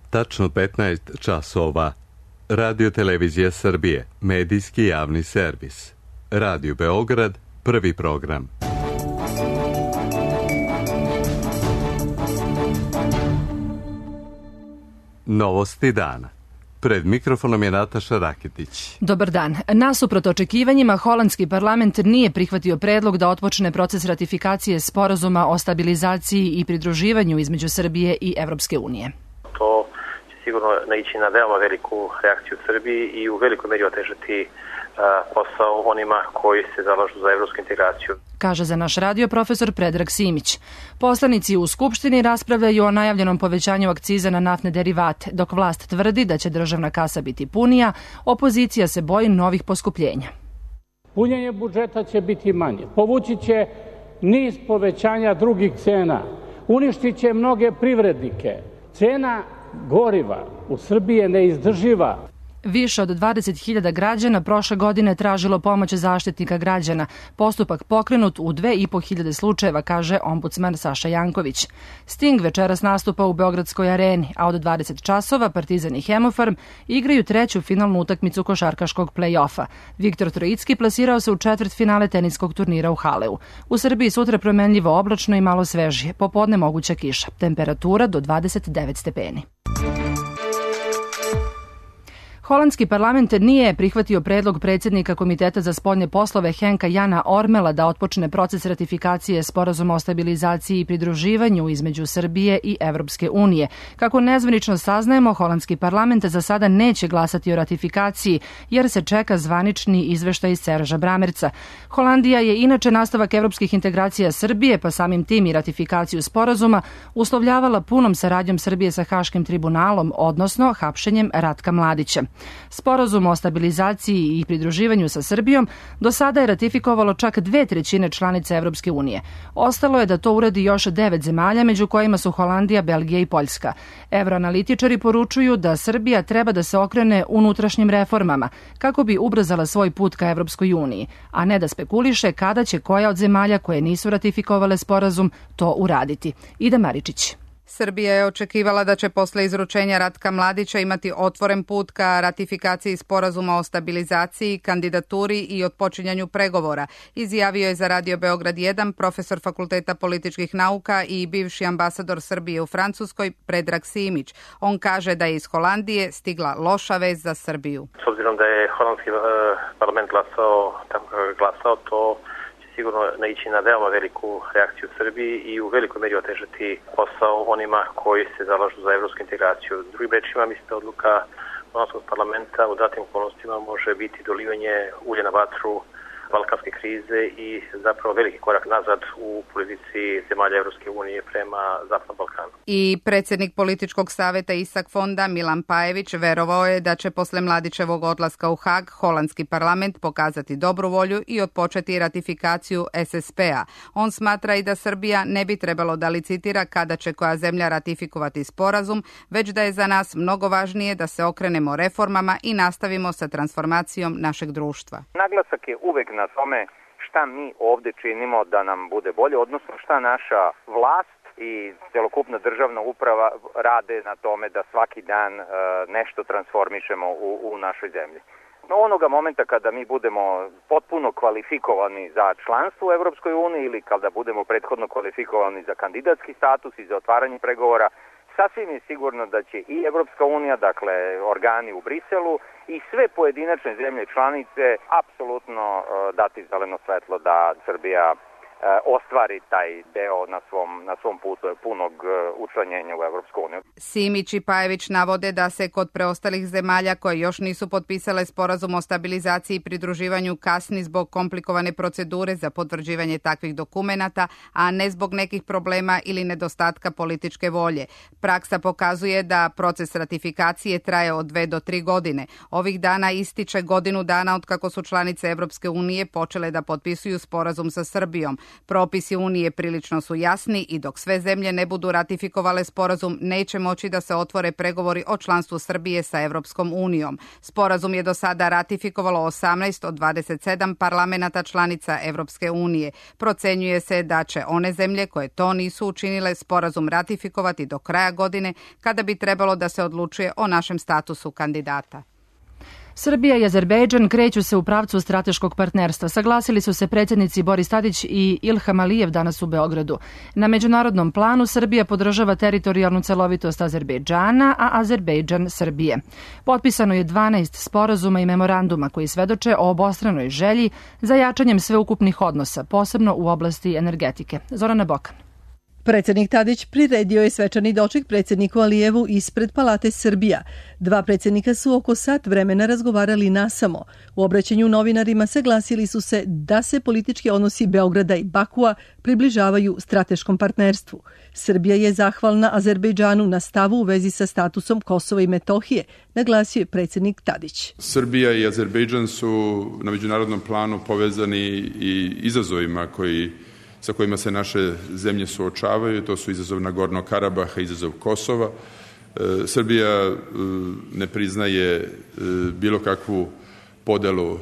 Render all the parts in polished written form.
Tačno 15 časova. Radio Televizija Srbije, medijski javni servis. Radio Beograd, prvi program. Novosti dana. Pred mikrofonom je Nataša Raketić. Dobar dan. Nasuprot očekivanjima, holandski parlament nije prihvatio predlog da otpočne proces ratifikacije sporazuma o stabilizaciji i pridruživanju između Srbije i Evropske unije. To će sigurno naići na veoma veliku reakciju u Srbiji i u velikoj meri otežati posao onima koji se zalažu za evropsku integraciju. Kaže za naš radio profesor Predrag Simić. Poslanici u Skupštini raspravljaju o najavljenom povećanju akciza na naftne derivate. Dok vlast tvrdi da će državna kasa biti punija, opozicija se boji novih poskupljenja. Punjenje budžeta će biti manje. Povući će niz povećanja drugih cena. Uništit će mnoge privrednike. Cena goriva u Srbiji je neizdrživa. Više od 20.000 građana prošle godine tražilo pomoć Zaštitnika građana. Postupak pokrenut u 2.500 slučajeva, kaže ombudsman Saša Janković. Sting večeras nastupa u Beogradskoj areni, a od 20 časova Partizan i Hemofarm igraju treću finalnu utakmicu košarkaškog play-offa. Viktor Trojicki plasirao se u četvrtfinale teniskog turnira u Haleu. U Srbiji sutra promenljivo oblačno i malo svežije. Popodne moguća kiša. Temperatura do 29 stepeni. Holandski parlament nije prihvatio predlog predsjednika Komiteta za spoljne poslove Henka Jana Ormela da otpočne proces ratifikacije sporazuma o stabilizaciji i pridruživanju između Srbije i Evropske unije. Kako nezvanično saznajemo, holandski parlament za sada neće glasati o ratifikaciji, jer se čeka zvanični izveštaj Serža Bramerca. Holandija je inače nastavak evropskih integracija Srbije, pa samim tim i ratifikaciju sporazuma, uslovljavala punom saradnjom Srbije sa Haškim tribunalom, odnosno hapšenjem Ratka Mladića. Sporazum o stabilizaciji i pridruživanju sa Srbijom do sada je ratifikovalo čak 2/3 članica Evropske unije. Ostalo je da to uradi još 9 zemalja, među kojima su Holandija, Belgija i Poljska. Evroanalitičari poručuju da Srbija treba da se okrene unutrašnjim reformama kako bi ubrzala svoj put ka Evropskoj uniji, a ne da spekuliše kada će koja od zemalja koje nisu ratifikovale sporazum to uraditi. Ida Maričić. Srbija je očekivala da će posle izručenja Ratka Mladića imati otvoren put ka ratifikaciji sporazuma o stabilizaciji, kandidaturi i otpočinjanju pregovora, izjavio je za Radio Beograd 1 profesor Fakulteta političkih nauka i bivši ambasador Srbije u Francuskoj Predrag Simić. On kaže da je iz Holandije stigla loša vest za Srbiju. S obzirom da je holandski parlament glasao, to sigurno naići na veoma veliku reakciju u Srbiji i u velikoj meri otežati posao onima koji se zalažu za evropsku integraciju. Drugim rečima, mislim da odluka holandskog parlamenta u datim okolnostima može biti dolivanje ulja na vatru balkanske krize i zapravo veliki korak nazad u politici zemalja Evropske unije prema Zapadnom Balkanu. I predsjednik političkog saveta Isak Fonda Milan Pajević verovao je da će posle Mladićevog odlaska u Hag holandski parlament pokazati dobru volju i otpočeti ratifikaciju SSP-a. On smatra i da Srbija ne bi trebalo da licitira kada će koja zemlja ratifikovati sporazum, već da je za nas mnogo važnije da se okrenemo reformama i nastavimo sa transformacijom našeg društva. Naglasak je uvek na tome šta mi ovde činimo da nam bude bolje, odnosno šta naša vlast i celokupna državna uprava rade na tome da svaki dan nešto transformišemo u našoj zemlji. No, onoga momenta kada mi budemo potpuno kvalifikovani za članstvo u Evropskoj uniji ili kada budemo prethodno kvalifikovani za kandidatski status i za otvaranje pregovora, sasvim je sigurno da će i Evropska unija, dakle organi u Briselu i sve pojedinačne zemlje članice apsolutno dati zeleno svetlo da Srbija ostvari taj deo na svom putu punog učlanjenja u Evropsku uniju. Simić i Pajević navode da se kod preostalih zemalja koje još nisu potpisale sporazum o stabilizaciji i pridruživanju kasni zbog komplikovane procedure za potvrđivanje takvih dokumenata, a ne zbog nekih problema ili nedostatka političke volje. Praksa pokazuje da proces ratifikacije traje od 2 do 3 godine. Ovih dana ističe godinu dana od kako su članice Evropske unije počele da potpisuju sporazum sa Srbijom. Propisi Unije prilično su jasni i dok sve zemlje ne budu ratifikovale sporazum, neće moći da se otvore pregovori o članstvu Srbije sa Evropskom unijom. Sporazum je do sada ratifikovalo 18 od 27 parlamenata članica Evropske unije. Procenjuje se da će one zemlje koje to nisu učinile sporazum ratifikovati do kraja godine, kada bi trebalo da se odlučuje o našem statusu kandidata. Srbija i Azerbejdžan kreću se u pravcu strateškog partnerstva. Saglasili su se predsjednici Boris Tadić i Ilham Alijev danas u Beogradu. Na međunarodnom planu Srbija podržava teritorijalnu celovitost Azerbejdžana, a Azerbejdžan Srbije. Potpisano je 12 sporazuma i memoranduma koji svedoče o obostranoj želji za jačanjem sveukupnih odnosa, posebno u oblasti energetike. Zorana Bokan. Predsjednik Tadić priredio je svečani doček predsjedniku Alijevu ispred Palate Srbija. Dva predsjednika su oko sat vremena razgovarali nasamo. U obraćanju novinarima saglasili su se da se politički odnosi Beograda i Bakua približavaju strateškom partnerstvu. Srbija je zahvalna Azerbejdžanu na stavu u vezi sa statusom Kosova i Metohije, naglasio je predsjednik Tadić. Srbija i Azerbejdžan su na međunarodnom planu povezani i izazovima sa kojima se naše zemlje suočavaju. To su izazov Nagornog Karabaha, izazov Kosova. Srbija ne priznaje bilo kakvu podelu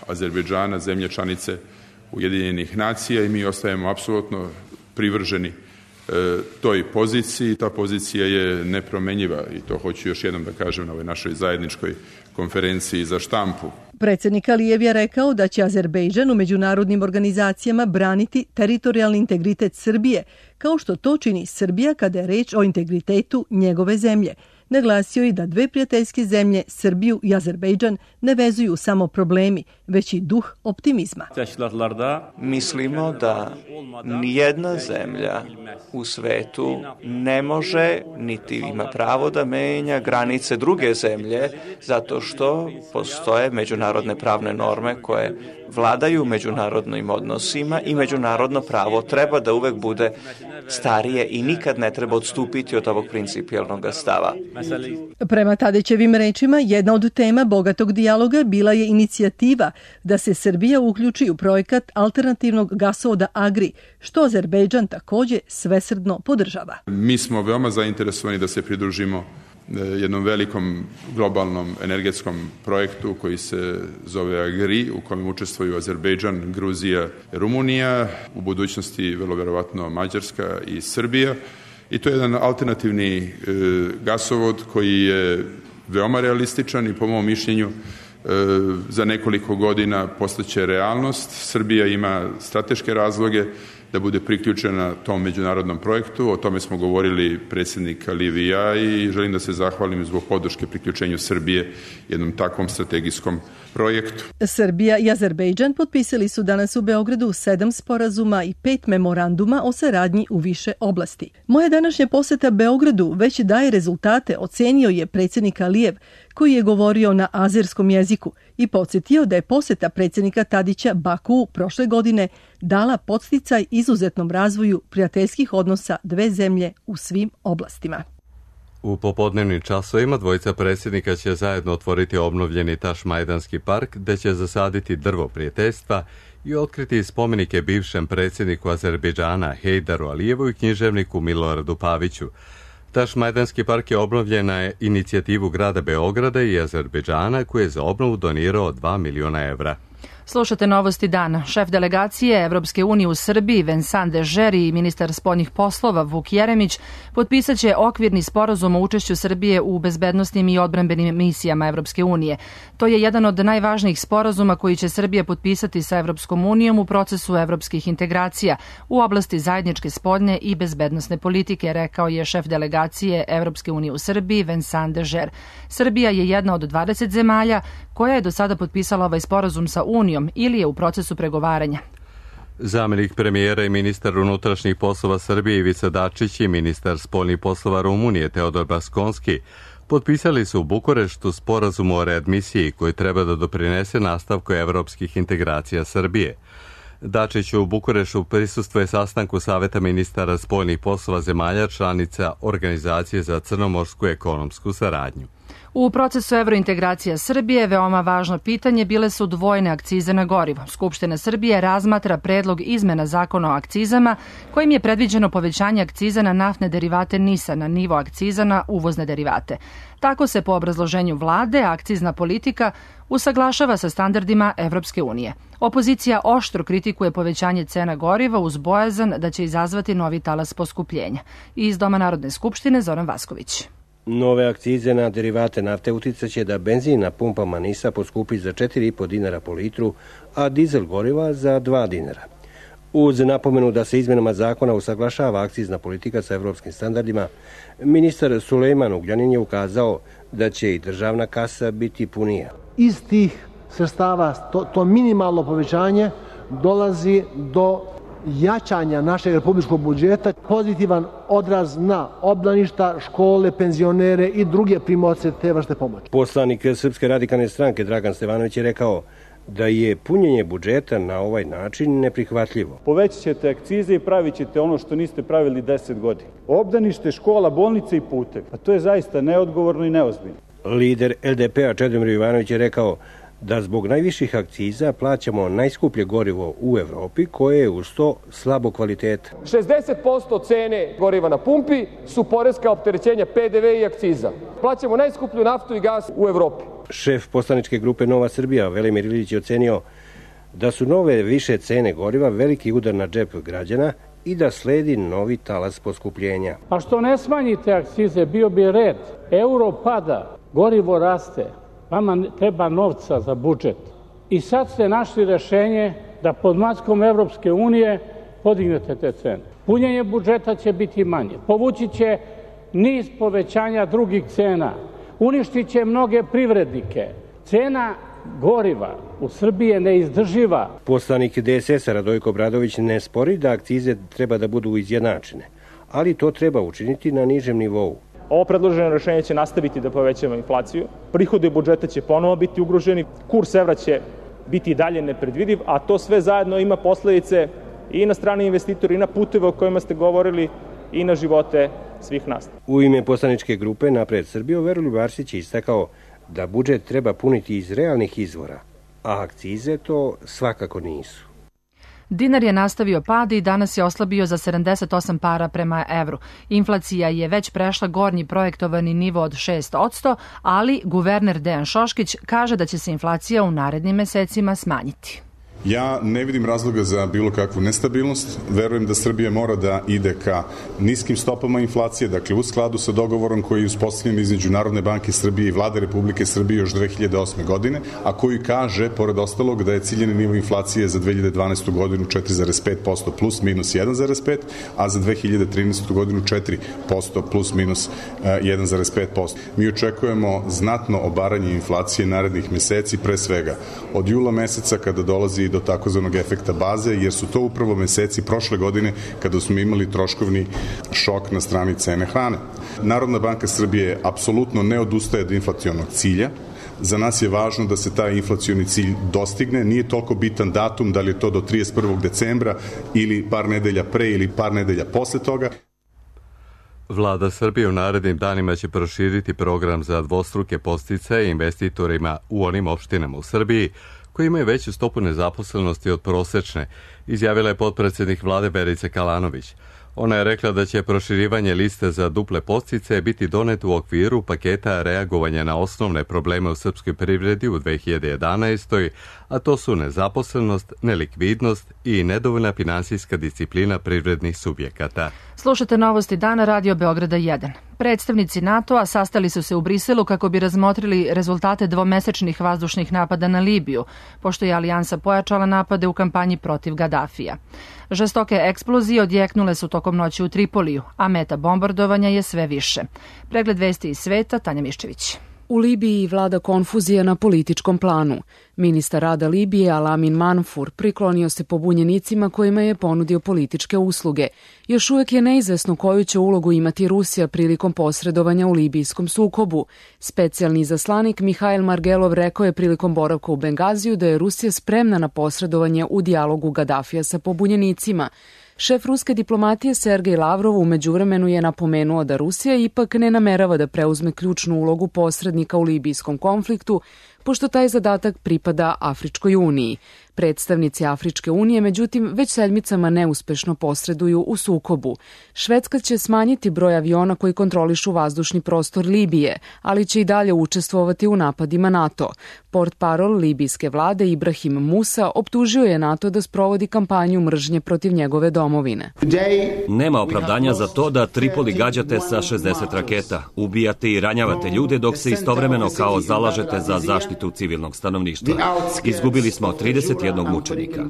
Azerbejdžana, zemlje članice Ujedinjenih nacija, i mi ostajemo apsolutno privrženi toj poziciji. Ta pozicija je nepromenjiva i to hoću još jednom da kažem na ovoj našoj zajedničkoj konferenciji za štampu. Predsjednik Alijev je rekao da će Azerbejdžan u međunarodnim organizacijama braniti teritorijalni integritet Srbije, kao što to čini Srbija kada je reč o integritetu njegove zemlje. Naglasio je da dve prijateljske zemlje, Srbiju i Azerbejdžan, ne vezuju samo problemi, već i duh optimizma. Mislimo da nijedna zemlja u svetu ne može niti ima pravo da menja granice druge zemlje, zato što postoje međunarodne pravne norme koje vladaju međunarodnim odnosima i međunarodno pravo treba da uvek bude starije i nikad ne treba odstupiti od ovog principijelnog stava. Prema Tadićevim rečima, jedna od tema bogatog dijaloga bila je inicijativa da se Srbija uključi u projekat alternativnog gasovoda Agri, što Azerbejdžan također svesrdno podržava. Mi smo veoma zainteresovani da se pridružimo jednom velikom globalnom energetskom projektu koji se zove Agri, u kojem učestvuju Azerbejdžan, Gruzija, Rumunija, u budućnosti vrlo verovatno Mađarska i Srbija. I to je jedan alternativni gasovod koji je veoma realističan i po mom mišljenju za nekoliko godina postaće realnost. Srbija ima strateške razloge da bude priključena tom međunarodnom projektu. O tome smo govorili predsjednik Alijev i ja i želim da se zahvalim zbog podrške priključenju Srbije jednom takvom strategijskom projektu. Srbija i Azerbejdžan potpisali su danas u Beogradu 7 sporazuma i 5 memoranduma o saradnji u više oblasti. Moja današnja poseta Beogradu već daje rezultate, ocenio je predsjednik Alijev, koji je govorio na azerskom jeziku i podsjetio da je poseta predsjednika Tadića Bakuu prošle godine dala podsticaj izuzetnom razvoju prijateljskih odnosa dve zemlje u svim oblastima. U popodnevnim časovima dvojica predsjednika će zajedno otvoriti obnovljeni Tašmajdanski park, gde će zasaditi drvo prijateljstva i otkriti spomenike bivšem predsjedniku Azerbejdžana Hejdaru Alijevu i književniku Miloradu Paviću. Tašmajdanski park je obnovljen na inicijativu grada Beograda i Azerbejdžana, koji je za obnovu donirao 2 miliona evra. Slušate novosti dana. Šef delegacije Evropske unije u Srbiji Vincent Dežer i ministar spoljnih poslova Vuk Jeremić potpisat će okvirni sporazum o učešću Srbije u bezbednosnim i odbrambenim misijama Evropske unije. To je jedan od najvažnijih sporazuma koji će Srbija potpisati sa Evropskom unijom u procesu evropskih integracija u oblasti zajedničke spoljne i bezbednosne politike, rekao je šef delegacije Evropske unije u Srbiji Vincent Dežer. Srbija je jedna od 20 zemalja koja je do sada potpisala ovaj sporazum sa Unijom ili je u procesu pregovaranja. Zamenik premijera i ministar unutrašnjih poslova Srbije Ivica Dačić i ministar spoljnih poslova Rumunije Teodor Baskonski potpisali su u Bukureštu sporazum o readmisiji koji treba da doprinese nastavku evropskih integracija Srbije. Dačić u Bukureštu prisustvuje sastanku Saveta ministara spoljnih poslova zemalja članica Organizacije za crnomorsku ekonomsku saradnju. U procesu evrointegracija Srbije veoma važno pitanje bile su dvojne akcize na gorivo. Skupština Srbije razmatra predlog izmena zakona o akcizama kojim je predviđeno povećanje akciza na naftne derivate NIS-a na nivo akciza na uvozne derivate. Tako se po obrazloženju vlade akcizna politika usaglašava sa standardima Evropske unije. Opozicija oštro kritikuje povećanje cena goriva uz bojazan da će izazvati novi talas poskupljenja. Iz Doma Narodne skupštine Zoran Vasković. Nove akcize na derivate nafte uticaće da benzin na pumpama NIS-a poskupi za 4,5 dinara po litru, a dizel goriva za 2 dinara. Uz napomenu da se izmenama zakona usaglašava akcizna politika sa evropskim standardima, ministar Sulejman Ugljanin je ukazao da će i državna kasa biti punija. Iz tih sredstava to minimalno povećanje dolazi do jačanja našeg republičkog budžeta, pozitivan odraz na obdaništa, škole, penzionere i druge primaoce te vrste pomoći. Poslanik Srpske radikalne stranke Dragan Stevanović je rekao da je punjenje budžeta na ovaj način neprihvatljivo. Povećat ćete akcize i pravit ćete ono što niste pravili 10 godina. Obdanište, škola, bolnice i putevi. A to je zaista neodgovorno i neozbiljno. Lider LDP-a Čedomir Jovanović je rekao da zbog najviših akciza plaćamo najskuplje gorivo u Evropi koje je uz to slabo kvaliteta. 60% cene goriva na pumpi su poreska opterećenja PDV i akciza. Plaćamo najskuplju naftu i gas u Evropi. Šef poslaničke grupe Nova Srbija Velimir Ilić je ocenio da su nove više cene goriva veliki udar na džep građana i da sledi novi talas poskupljenja. A što ne smanjite akcize, bio bi red. Euro pada, gorivo raste. Vama treba novca za budžet. I sad ste našli rešenje da pod maskom Evropske unije podignete te cene. Punjenje budžeta će biti manje. Povući će niz povećanja drugih cena. Uništit će mnoge privrednike. Cena goriva u Srbiji je neizdrživa. Poslanik DSS-a Radojko Obradović ne spori da akcize treba da budu izjednačene, ali to treba učiniti na nižem nivou. Ovo predloženo rešenje će nastaviti da povećava inflaciju, prihodi budžeta će ponovo biti ugroženi, kurs evra će biti i dalje nepredvidiv, a to sve zajedno ima posledice i na strane investitora i na puteve o kojima ste govorili i na živote svih nas. U ime poslaničke grupe Napred Srbiju Veroljub Arsić je istakao da budžet treba puniti iz realnih izvora, a akcize to svakako nisu. Dinar je nastavio pad i danas je oslabio za 78 para prema evru. Inflacija je već prešla gornji projektovani nivo od 6%, ali guverner Dejan Šoškić kaže da će se inflacija u narednim mesecima smanjiti. Ja ne vidim razloga za bilo kakvu nestabilnost. Verujem da Srbija mora da ide ka niskim stopama inflacije, dakle u skladu sa dogovorom koji je uspostavljen između Narodne banke Srbije i Vlade Republike Srbije još 2008. godine, a koji kaže, pored ostalog, da je ciljeni nivo inflacije za 2012. godinu 4,5% plus minus 1,5%, a za 2013. godinu 4% plus minus 1,5%. Mi očekujemo znatno obaranje inflacije narednih meseci, pre svega od jula meseca kada dolazi do takozvanog efekta baze, jer su to upravo meseci prošle godine kada smo imali troškovni šok na strani cene hrane. Narodna banka Srbije apsolutno ne odustaje od inflacionog cilja. Za nas je važno da se taj inflacioni cilj dostigne. Nije toliko bitan datum, da li je to do 31. decembra ili par nedelja pre ili par nedelja posle toga. Vlada Srbije u narednim danima će proširiti program za dvostruke podsticaje investitorima u onim opštinama u Srbiji koji imaju veću stopu nezaposlenosti od prosečne, izjavila je potpredsednik vlade Verica Kalanović. Ona je rekla da će proširivanje liste za duple podsticaje biti donet u okviru paketa reagovanja na osnovne probleme u srpskoj privredi u 2011. a to su nezaposlenost, nelikvidnost i nedovoljna finansijska disciplina privrednih subjekata. Slušate novosti dana Radio Beograda 1. Predstavnici NATO-a sastali su se u Briselu kako bi razmotrili rezultate dvomesečnih vazdušnih napada na Libiju, pošto je alijansa pojačala napade u kampanji protiv Gadafija. Žestoke eksplozije odjeknule su tokom noći u Tripoliju, a meta bombardovanja je sve više. Pregled vesti iz sveta, Tanja Miščević. U Libiji vlada konfuzija na političkom planu. Ministar rada Libije Alamin Manfur priklonio se pobunjenicima kojima je ponudio političke usluge. Još uvek je neizvesno koju će ulogu imati Rusija prilikom posredovanja u libijskom sukobu. Specijalni izaslanik Mihail Margelov rekao je prilikom boravka u Bengaziju da je Rusija spremna na posredovanje u dijalogu Gadafija sa pobunjenicima. Šef ruske diplomatije Sergej Lavrov u međuvremenu je napomenuo da Rusija ipak ne namerava da preuzme ključnu ulogu posrednika u libijskom konfliktu, pošto taj zadatak pripada Afričkoj uniji. Predstavnici Afričke unije, međutim, već sedmicama neuspešno posreduju u sukobu. Švedska će smanjiti broj aviona koji kontrolišu vazdušni prostor Libije, ali će i dalje učestvovati u napadima NATO. Portparol libijske vlade Ibrahim Musa optužio je NATO da sprovodi kampanju mržnje protiv njegove domovine. Nema opravdanja za to da Tripoli gađate sa 60 raketa, ubijate i ranjavate ljude dok se istovremeno kao zalažete za zaštitu civilnog stanovništva. Izgubili smo 31 mučenika.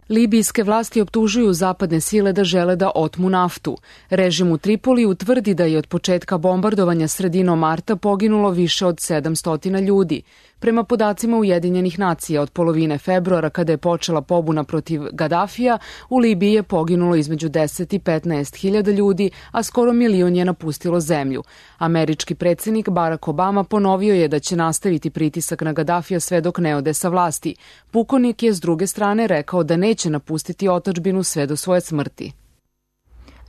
Libijske vlasti optužuju zapadne sile da žele da otmu naftu. Režim u Tripoliju tvrdi da je od početka bombardovanja sredinom marta poginulo više od 700 ljudi. Prema podacima Ujedinjenih nacija, od polovine februara, kada je počela pobuna protiv Gadafija, u Libiji je poginulo između 10 i 15 hiljada ljudi, a skoro milion je napustilo zemlju. Američki predsjednik Barack Obama ponovio je da će nastaviti pritisak na Gadafija sve dok ne ode sa vlasti. Pukovnik je s druge strane rekao da neće napustiti otadžbinu sve do svoje smrti.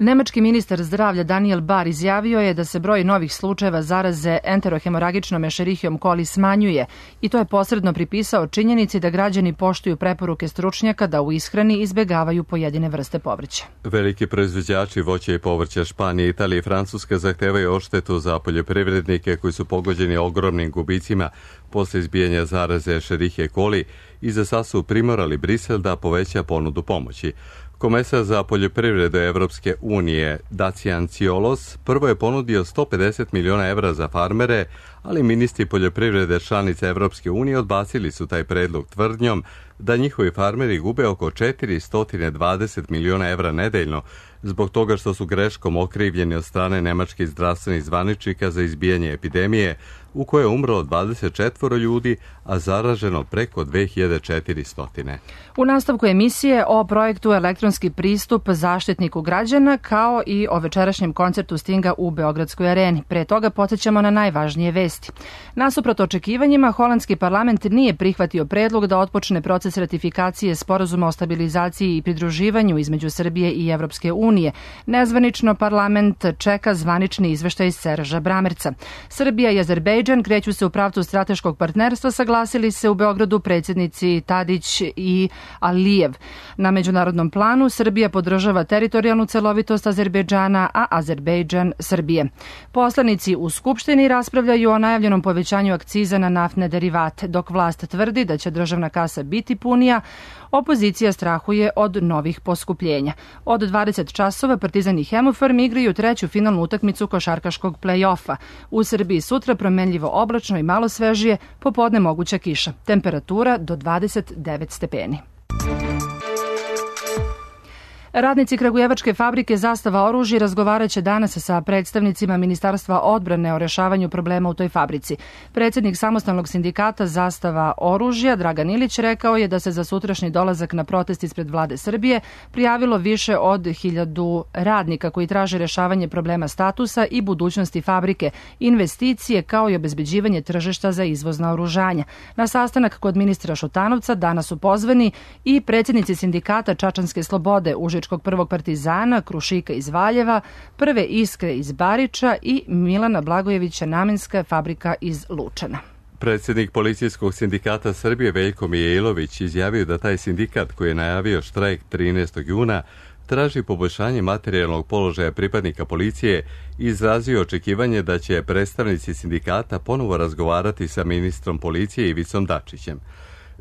Nemački ministar zdravlja Daniel Bahr izjavio je da se broj novih slučajeva zaraze enterohemoragičnom Escherichiom coli smanjuje i to je posredno pripisao činjenici da građani poštuju preporuke stručnjaka da u ishrani izbegavaju pojedine vrste povrća. Veliki proizvođači voća i povrća Španije, Italije i Francuske zahtevaju odštetu za poljoprivrednike koji su pogođeni ogromnim gubicima posle izbijanja zaraze Escherichie coli i za sad su primorali Brisel da poveća ponudu pomoći. Komesar za poljoprivredu Evropske unije Dacian Ciolos prvo je ponudio 150 miliona evra za farmere, ali ministri poljoprivrede članice Evropske unije odbacili su taj predlog tvrdnjom da njihovi farmeri gube oko 420 miliona evra nedeljno zbog toga što su greškom okrivljeni od strane nemačkih zdravstvenih zvaničnika za izbijanje epidemije u kojoj je umrlo 24 ljudi, a zaraženo preko 2400. U nastavku emisije o projektu Elektronski pristup Zaštitniku građana, kao i o večerašnjem koncertu Stinga u Beogradskoj areni. Pre toga podsjećamo na najvažnije vesti. Nasuprot očekivanjima, holandski parlament nije prihvatio predlog da otpočne proces ratifikacije Sporazuma o stabilizaciji i pridruživanju između Srbije i Evropske unije. Nezvanično parlament čeka zvanični izveštaj Serža Bramerca. Srbija i Azerbejdžan kreću se u pravcu strateškog partnerstva, saglasili se u Beogradu predsjednici Tadić i Alijev. Na međunarodnom planu Srbija podržava teritorijalnu celovitost Azerbejdžana, a Azerbejdžan Srbije. Poslanici u Skupštini raspravljaju o najavljenom povećanju akciza na naftne derivate. Dok vlast tvrdi da će državna kasa biti punija, opozicija strahuje od novih poskupljenja. Od 20 časova Partizan i Hemofarm igraju treću finalnu utakmicu košarkaškog play-offa. U Srbiji sutra promenljivo oblačno i malo svežije, popodne moguća kiša. Temperatura do 29 stepeni. Radnici kragujevačke fabrike Zastava oružja razgovaraće danas sa predstavnicima Ministarstva odbrane o rešavanju problema u toj fabrici. Predsjednik samostalnog sindikata Zastava oružja Dragan Ilić rekao je da se za sutrašnji dolazak na protest ispred vlade Srbije prijavilo više od 1000 radnika koji traže rešavanje problema statusa i budućnosti fabrike, investicije kao i obezbeđivanje tržišta za izvoz naoružanja. Na sastanak kod ministra Šutanovca danas su pozvani i predsjednici sindikata Čačanske slobode, Užičkog prvog Partizana, Krušika iz Valjeva, Prve Iskre iz Bariča i Milana Blagojevića Namenska fabrika iz Lučana. Predsjednik Policijskog sindikata Srbije Veljko Mijailović izjavio da taj sindikat koji je najavio štrajk 13. juna traži poboljšanje materijalnog položaja pripadnika policije i izrazio očekivanje da će predstavnici sindikata ponovo razgovarati sa ministrom policije Ivicom Dačićem.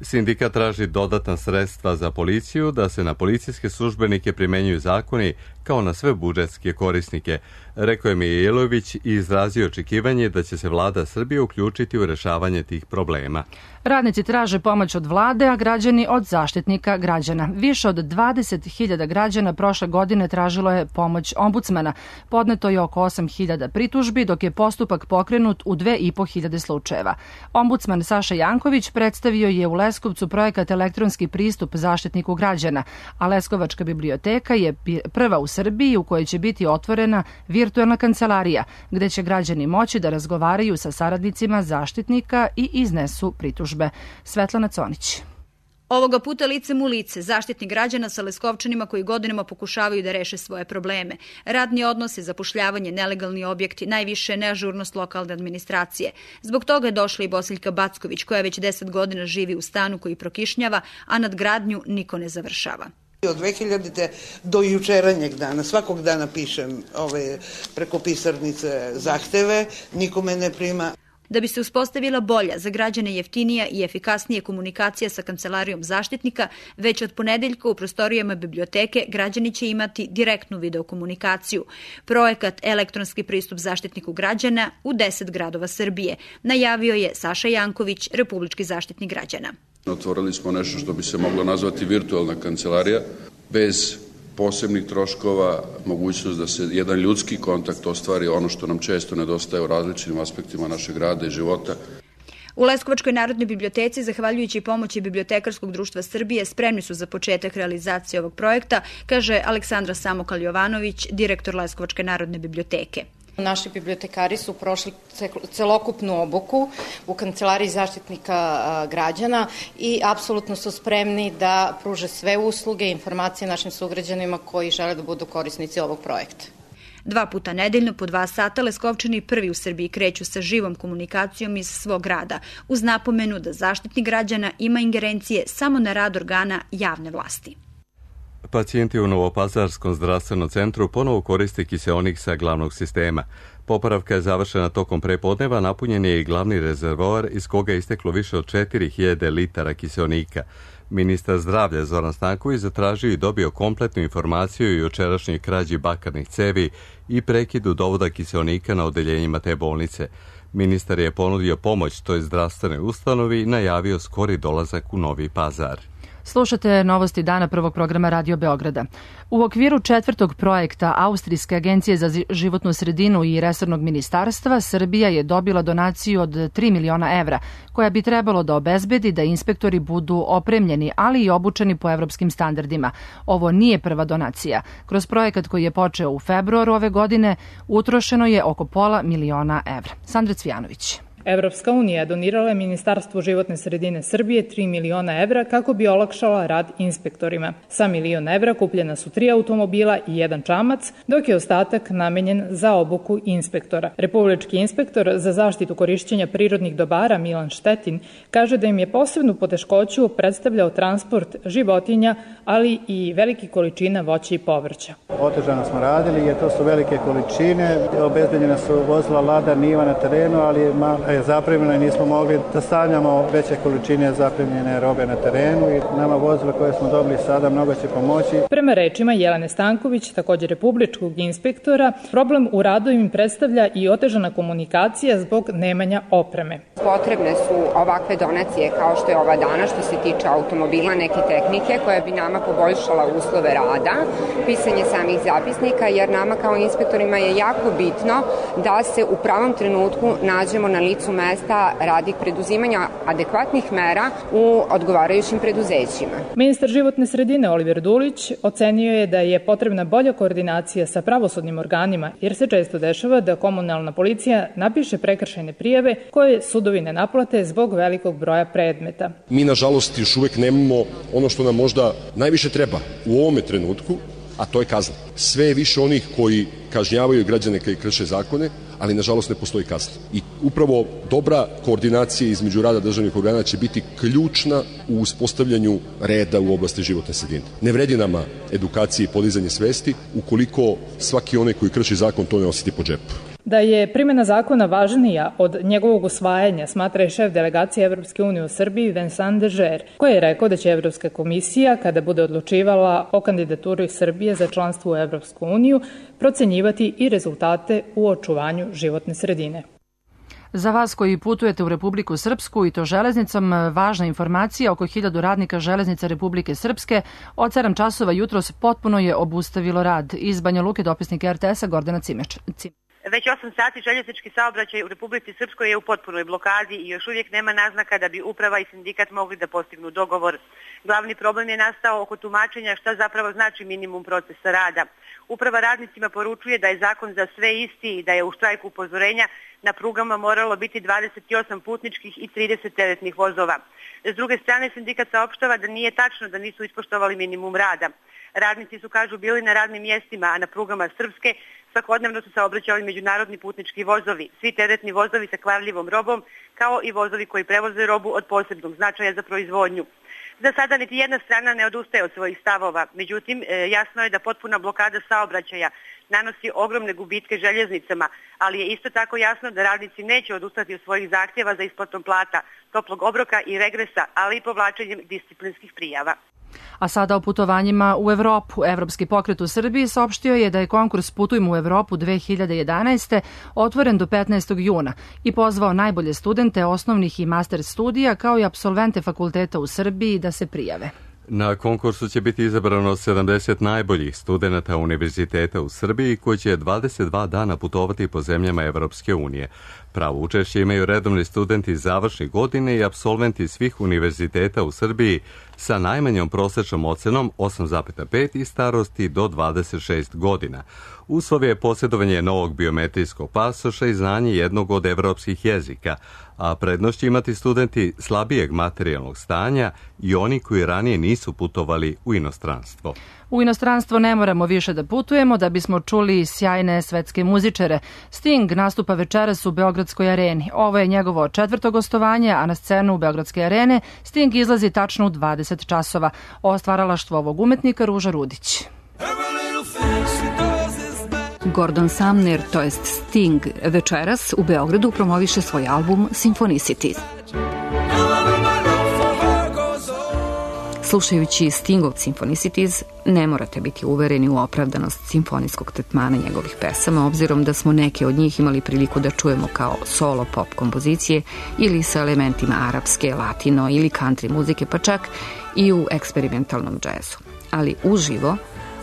Sindikat traži dodatna sredstva za policiju, da se na policijske službenike primenjuju zakoni kao na sve budžetske korisnike, rekao je Mijailović i izrazio očekivanje da će se vlada Srbije uključiti u rešavanje tih problema. Radnici traže pomoć od vlade, a građani od Zaštitnika građana. Više od 20.000 građana prošle godine tražilo je pomoć ombudsmana. Podneto je oko 8.000 pritužbi, dok je postupak pokrenut u 2.500 slučajeva. Ombudsman Saša Janković predstavio je u Leskovcu projekat Elektronski pristup Zaštitniku građana, a Leskovačka biblioteka je prva u Srbiji u kojoj će biti otvorena virtualna kancelarija, gde će građani moći da razgovaraju sa saradnicima Zaštitnika i iznesu pritužbe. Svetlana Conić. Ovoga puta licem u lice, Zaštitnik građana sa Leskovčanima koji godinama pokušavaju da reše svoje probleme. Radni odnose, zapošljavanje, nelegalni objekti, najviše neažurnost lokalne administracije. Zbog toga je došla i Bosiljka Backović, koja već 10 godina živi u stanu koji prokišnjava, a nadgradnju niko ne završava. Od 2000. do jučeranjeg dana, svakog dana pišem preko pisarnice zahteve, nikome ne prima. Da bi se uspostavila bolja, za građane jeftinija i efikasnija komunikacija sa Kancelarijom Zaštitnika, već od ponedeljka u prostorijama biblioteke građani će imati direktnu videokomunikaciju. Projekat Elektronski pristup Zaštitniku građana u 10 gradova Srbije najavio je Saša Janković, Republički zaštitnik građana. Otvorili smo nešto što bi se moglo nazvati virtualna kancelarija, bez posebnih troškova, mogućnost da se jedan ljudski kontakt ostvari, ono što nam često nedostaje u različitim aspektima našeg rada i života. U Leskovačkoj narodnoj biblioteci, zahvaljujući pomoći Bibliotekarskog društva Srbije, spremni su za početak realizacije ovog projekta, kaže Aleksandra Samokal-Jovanović, direktor Leskovačke narodne biblioteke. Naši bibliotekari su prošli celokupnu obuku u Kancelariji Zaštitnika građana i apsolutno su spremni da pruže sve usluge i informacije našim sugrađanima koji žele da budu korisnici ovog projekta. 2 puta nedeljno po 2 sata Leskovčani prvi u Srbiji kreću sa živom komunikacijom iz svog grada, uz napomenu da Zaštitnik građana ima ingerencije samo na rad organa javne vlasti. Pacijenti u Novopazarskom zdravstvenom centru ponovo koriste kiseonik sa glavnog sistema. Popravka je završena tokom prepodneva, napunjen je i glavni rezervoar iz koga je isteklo više od 4000 litara kiseonika. Ministar zdravlja Zoran Stanković zatražio i dobio kompletnu informaciju o jučerašnjoj krađi bakarnih cevi i prekidu dovoda kiseonika na odeljenjima te bolnice. Ministar je ponudio pomoć toj zdravstvenoj ustanovi i najavio skori dolazak u Novi Pazar. Slušate novosti dana prvog programa Radio Beograda. U okviru 4. projekta Austrijske agencije za životnu sredinu i resornog ministarstva, Srbija je dobila donaciju od 3 miliona evra, koja bi trebalo da obezbedi da inspektori budu opremljeni, ali i obučeni po evropskim standardima. Ovo nije prva donacija. Kroz projekat koji je počeo u februaru ove godine, utrošeno je oko pola miliona evra. Sandra Cvijanović. Evropska unija donirala je Ministarstvu životne sredine Srbije 3 miliona evra kako bi olakšala rad inspektorima. Sa $1 milion evra kupljena su 3 automobila i 1 čamac, dok je ostatak namenjen za obuku inspektora. Republički inspektor za zaštitu korišćenja prirodnih dobara Milan Štetin kaže da im je posebnu poteškoću predstavljao transport životinja, ali i velike količina voća i povrća. Otežano smo radili jer to su velike količine, obezbeđena su vozila Lada Niva na terenu, ali je zapremljeno i nismo mogli da stavljamo veće količine zapremljene robe na terenu i nama vozila koje smo dobili sada mnogo će pomoći. Prema rečima Jelene Stanković, također republičkog inspektora, problem u radu im predstavlja i otežana komunikacija zbog nemanja opreme. Potrebne su ovakve donacije kao što je ova dana što se tiče automobila, neke tehnike koja bi nama poboljšala uslove rada, pisanje samih zapisnika, jer nama kao inspektorima je jako bitno da se u pravom trenutku nađemo na licu mesta radi preduzimanja adekvatnih mera u odgovarajućim preduzećima. Ministar životne sredine Oliver Dulić ocenio je da je potrebna bolja koordinacija sa pravosudnim organima, jer se često dešava da komunalna policija napiše prekršajne prijave koje sudovi ne naplate zbog velikog broja predmeta. Mi, nažalost, još uvek nemamo ono što nam možda najviše treba u ovome trenutku, a to je kazna. Sve je više onih koji kažnjavaju građane koji krše zakone, ali nažalost ne postoji kazna. I upravo dobra koordinacija između rada državnih organa će biti ključna u uspostavljanju reda u oblasti životne sredine. Ne vredi nama edukacija i podizanje svesti ukoliko svaki onaj koji krši zakon to ne osjeti po džepu. Da je primjena zakona važnija od njegovog usvajanja, smatra i šef delegacije Evropske unije u Srbiji Vincent Dežer, koji je rekao da će Evropska komisija, kada bude odlučivala o kandidaturi Srbije za članstvo u Evropsku uniju, procenjivati i rezultate u očuvanju životne sredine. Za vas koji putujete u Republiku Srpsku i to železnicom, važna informacija, oko 1000 radnika železnica Republike Srpske od 7 časova jutros potpuno je obustavilo rad. Iz Banja Luke dopisnik RTS-a Gordana Cimeč. Već 8 sati željeznički saobraćaj u Republici Srpskoj je u potpunoj blokadi i još uvijek nema naznaka da bi uprava i sindikat mogli da postignu dogovor. Glavni problem je nastao oko tumačenja šta zapravo znači minimum procesa rada. Uprava radnicima poručuje da je zakon za sve isti i da je u štrajku upozorenja na prugama moralo biti 28 putničkih i 30 teretnih vozova. S druge strane, sindikat saopštava da nije tačno da nisu ispoštovali minimum rada. Radnici su, kažu, bili na radnim mjestima, a na prugama Srpske svakodnevno su saobraćali međunarodni putnički vozovi, svi teretni vozovi sa kvarljivom robom, kao i vozovi koji prevoze robu od posebnog značaja za proizvodnju. Za sada niti jedna strana ne odustaje od svojih stavova, međutim jasno je da potpuna blokada saobraćaja nanosi ogromne gubitke željeznicama, ali je isto tako jasno da radnici neće odustati od svojih zahtjeva za isplatom plata, toplog obroka i regresa, ali i povlačenjem disciplinskih prijava. A sada o putovanjima u Evropu. Evropski pokret u Srbiji saopštio je da je konkurs Putujmo u Evropu 2011. otvoren do 15. juna i pozvao najbolje studente osnovnih i master studija kao i apsolvente fakulteta u Srbiji da se prijave. Na konkursu će biti izabrano 70 najboljih studenata univerziteta u Srbiji koji će 22 dana putovati po zemljama Evropske unije. Pravo učešće imaju redovni studenti završnih godine i apsolventi svih univerziteta u Srbiji sa najmanjom prosečnom ocenom 8,5 i starosti do 26 godina. Uslov je posjedovanje novog biometrijskog pasoša i znanje jednog od evropskih jezika, a prednost će imati studenti slabijeg materijalnog stanja i oni koji ranije nisu putovali u inostranstvo. U inostranstvo ne moramo više da putujemo da bismo čuli sjajne svetske muzičare. Sting nastupa večeras u Beogradskoj areni. Ovo je njegovo 4. gostovanje, a na scenu u Beogradske arene Sting izlazi tačno u 20 časova. O stvaralaštvu ovog umetnika Ruža Rudić. Gordon Sumner, to jest Sting, večeras u Beogradu promoviše svoj album Symphonicities. Slušajući Stingov Symphonicities, ne morate biti uvereni u opravdanost simfonijskog tretmana njegovih pesama, obzirom da smo neke od njih imali priliku da čujemo kao solo pop kompozicije ili sa elementima arapske, latino ili country muzike, pa čak i u eksperimentalnom džezu. Ali uživo,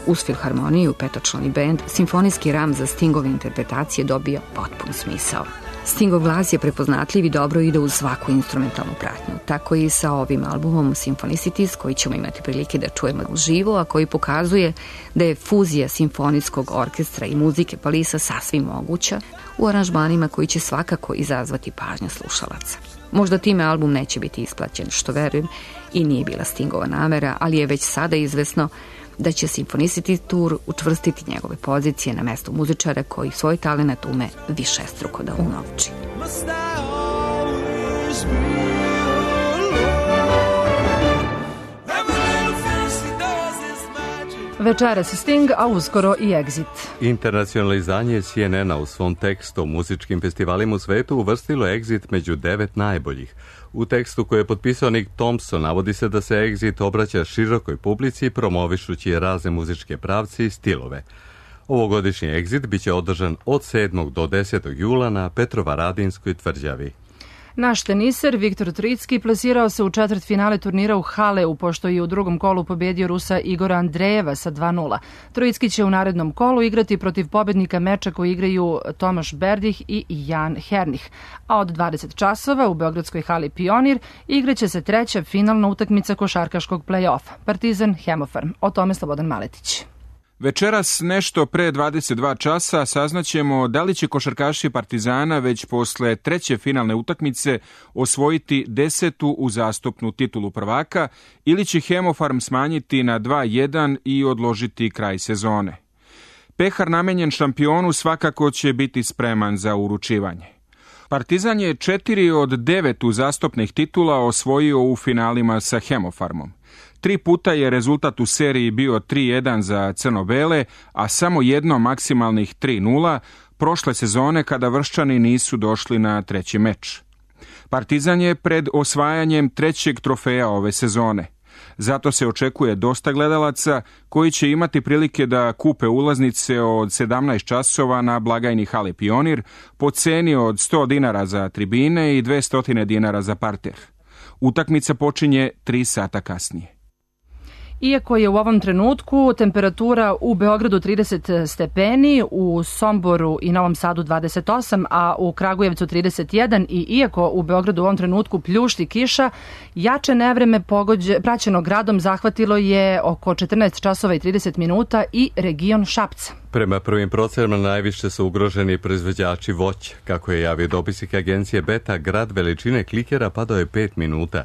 uz filharmoniju, petočlani bend, simfonijski ram za Stingove interpretacije dobija potpun smisao. Stingov glas je prepoznatljiv i dobro ide uz svaku instrumentalnu pratnju. Tako i sa ovim albumom Symphonicities, koji ćemo imati prilike da čujemo uživo, a koji pokazuje da je fuzija simfonijskog orkestra i muzike Palisa sasvim moguća u aranžmanima koji će svakako izazvati pažnju slušalaca. Možda time album neće biti isplaćen, što verujem i nije bila Stingova namera, ali je već sada izvesno da će Symphonicities Tour učvrstiti njegove pozicije na mestu muzičara koji svoj talenat ume višestruko da unovči. Večeras Sting, a uskoro i Exit. Internacionalizanje CNN-a u svom tekstu o muzičkim festivalima u svetu uvrstilo Exit među 9 najboljih. U tekstu koji je potpisao Nick Thompson navodi se da se Exit obraća širokoj publici promovišući razne muzičke pravce i stilove. Ovogodišnji Exit biće održan od 7. do 10. jula na Petrovaradinskoj tvrđavi. Naš teniser Viktor Tricki plasirao se u četvrtfinale turnira u Haleu, pošto je u drugom kolu pobedio Rusa Igora Andrejeva sa 2:0. Tricki će u narednom kolu igrati protiv pobednika meča koji igraju Tomaš Berdih i Jan Hernih. A od 20 časova u Beogradskoj hali Pionir igraće se treća finalna utakmica košarkaškog play-offa, Partizan Hemofarm. O tome Slobodan Maletić. Večeras nešto pre 22 časa saznaćemo da li će košarkaši Partizana već posle treće finalne utakmice osvojiti 10. uzastopnu titulu prvaka ili će Hemofarm smanjiti na 2:1 i odložiti kraj sezone. Pehar namenjen šampionu svakako će biti spreman za uručivanje. Partizan je 4 od 9 uzastopnih titula osvojio u finalima sa Hemofarmom. 3 puta je rezultat u seriji bio 3:1 za crno-bele, a samo jedno maksimalnih 3:0 prošle sezone kada Vrščani nisu došli na treći meč. Partizan je pred osvajanjem trećeg trofeja ove sezone. Zato se očekuje dosta gledalaca koji će imati prilike da kupe ulaznice od 17 časova na blagajni hale Pionir po ceni od 100 dinara za tribine i 200 dinara za parter. Utakmica počinje 3 sata kasnije. Iako je u ovom trenutku temperatura u Beogradu 30 stepeni, u Somboru i Novom Sadu 28, a u Kragujevcu 31 i iako u Beogradu u ovom trenutku pljušti kiša, jače nevreme praćeno gradom zahvatilo je oko 14 časova i 30 minuta i region Šapca. Prema prvim procenama najviše su ugroženi proizvođači voća. Kako je javio dopisnik agencije Beta, grad veličine klikera padao je 5 minuta.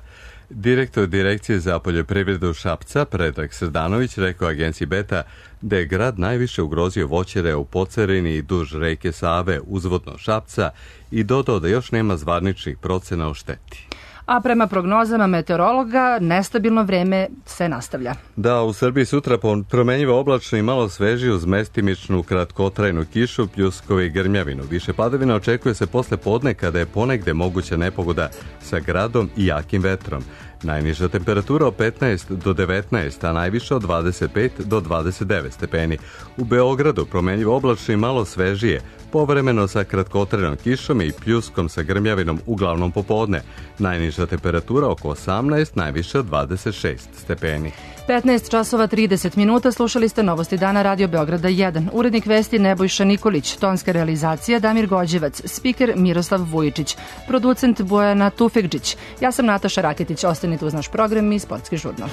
Direktor Direkcije za poljoprivredu Šapca, Predrag Srdanović, rekao agenciji Beta da je grad najviše ugrozio voćare u Pocerini i duž reke Save uzvodno Šapca i dodao da još nema zvaničnih procena o šteti. A prema prognozama meteorologa, nestabilno vreme se nastavlja. Da, u Srbiji sutra promenjivo oblačno i malo svežije uz mestimičnu kratkotrajnu kišu, pljuskove i grmljavinu. Više padavina očekuje se posle podne kada je ponegde moguća nepogoda sa gradom i jakim vetrom. Najniža temperatura od 15 do 19, a najviša od 25 do 29 stepeni. U Beogradu promenjivo oblačno i malo svežije, povremeno sa kratkotrajnom kišom i pljuskom sa grmljavinom uglavnom popodne. Najniža temperatura oko 18, najviša od 26 stepeni. 15 časova 30 minuta, slušali ste Novosti dana Radio Beograda 1. Urednik vesti Nebojša Nikolić, tonska realizacija Damir Gođevac, spiker Miroslav Vujičić, producent Bojana Tufekđić. Ja sam Nataša Raketić, ostanite uz naš program i sportski žurnal.